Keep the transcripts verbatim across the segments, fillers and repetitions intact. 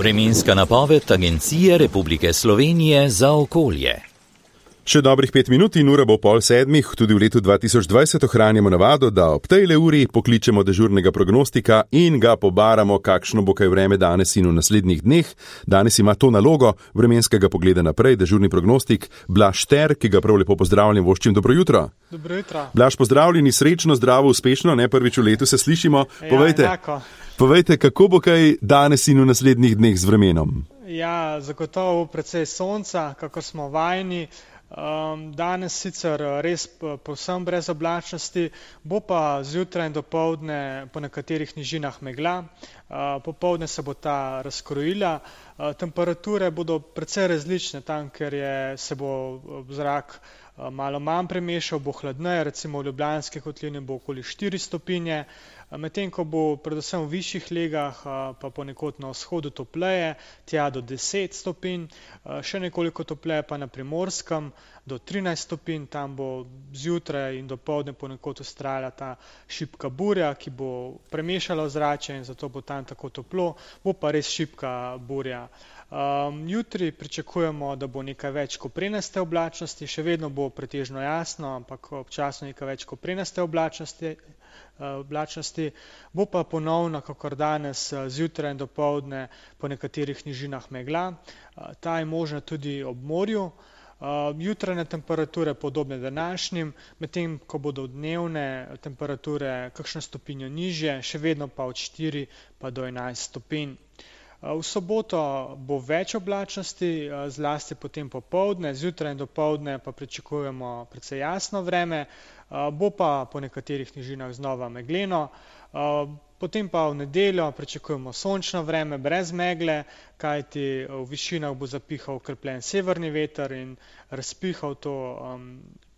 Vremenska napoved Agencije Republike Slovenije za okolje. Še dobrih pet minut in ura bo pol sedmih, tudi v letu dva tisoč dvajset ohranjamo navado, da ob tejle uri pokličemo dežurnega prognostika in ga pobaramo, kakšno bo kaj vreme danes in v naslednjih dneh. Danes ima to nalogo vremenskega pogleda naprej, dežurni prognostik Blaž Šter, ki ga prav lepo pozdravljam, voščim dobro jutro. Dobro jutro. Blaž, pozdravljeni, srečno, zdravo, uspešno, ne prvič v letu se slišimo. Ja, povejte, enako. povejte, kako bo kaj danes in v naslednjih dneh z vremenom? Ja, zagotovo precej sonca, kako smo vajeni. Um, danes sicer res povsem brez oblačnosti, bo pa zjutraj in dopoldne po nekaterih nižinah megla, uh, popoldne se bo ta razkrojila, uh, temperature bodo precej različne tam, ker je, se bo zrak uh, malo manj premešal, bo hladneje, recimo v Ljubljanski kotlini bo okoli štiri stopinje, medtem ko bo predvsem v višjih legah pa ponekod na vzhodu topleje, tja do deset stopinj, še nekoliko topleje pa na Primorskem do trinajst stopinj, tam bo zjutraj in dopoldne ponekod vztrajala ta šibka burja, ki bo premešala ozračje in zato bo tam tako toplo, bo pa res šibka burja. Um, jutri pričakujemo, da bo nekaj več koprenaste oblačnosti, še vedno bo pretežno jasno, ampak občasno nekaj več koprenaste oblačnosti, uh, oblačnosti. Bo pa ponovno, kakor danes, zjutraj in dopoldne po nekaterih nižinah megla. Uh, ta je možna tudi ob morju. Uh, jutrajne temperature podobne današnjim, medtem ko bodo dnevne temperature kakšno stopinjo nižje, še vedno pa od štiri pa do enajst stopinj. V soboto bo več oblačnosti, zlasti potem popoldne, zjutraj in dopoldne pa pričakujemo precej jasno vreme, bo pa po nekaterih nižinah znova megleno, potem pa v nedeljo pričakujemo sončno vreme brez megle, kajti v višinah bo zapihal okrepljen severni veter in razpihal to um,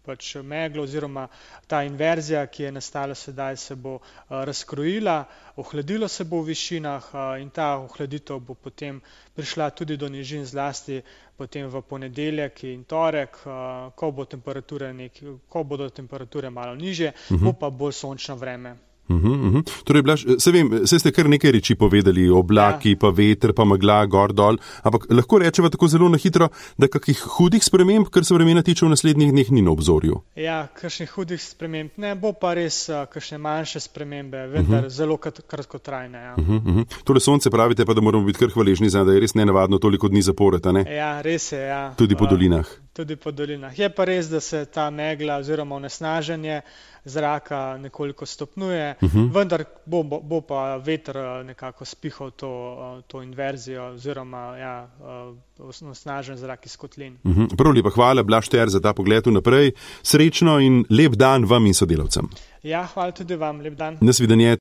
pač meglo oziroma ta inverzija, ki je nastala sedaj, se bo uh, razkrojila, ohladilo se bo v višinah uh, in ta ohladitev bo potem prišla tudi do nižin, zlasti potem v ponedeljek in torek, uh, ko bo temperature nek, ko bodo temperature malo nižje, uh-huh. bo pa bolj sončno vreme. Uhum, uhum. Torej, Blaž, se vem, se ste kar nekaj reči povedali, oblaki, ja. pa veter, pa megla, gor, dol, ampak lahko rečeva tako zelo na hitro, da kakih hudih sprememb, kar se vremena tiče v naslednjih dneh, ni na obzorju. Ja, kakšnih hudih sprememb ne, bo pa res uh, kakšne manjše spremembe, vendar uhum. zelo kratkotrajne. Ja. Uhum, uhum. Torej, sonce pravite pa, da moramo biti kar hvaležni, da je res nenavadno toliko dni zapored, a ne? Ja, res je, ja. Tudi po dolinah. Tudi po dolinah. Je pa res, da se ta megla oziroma onesnaženje zraka nekoliko stopnjuje, uh-huh. vendar bo, bo, bo pa veter nekako spihal to, to inverzijo oziroma ja, onesnažen zrak iz kotlin. Uh-huh. Prav lepa hvala, Blaž Šter, za ta pogled vnaprej. Srečno in lep dan vam in sodelavcem. Ja, hvala tudi vam, lep dan. Nasvidenje.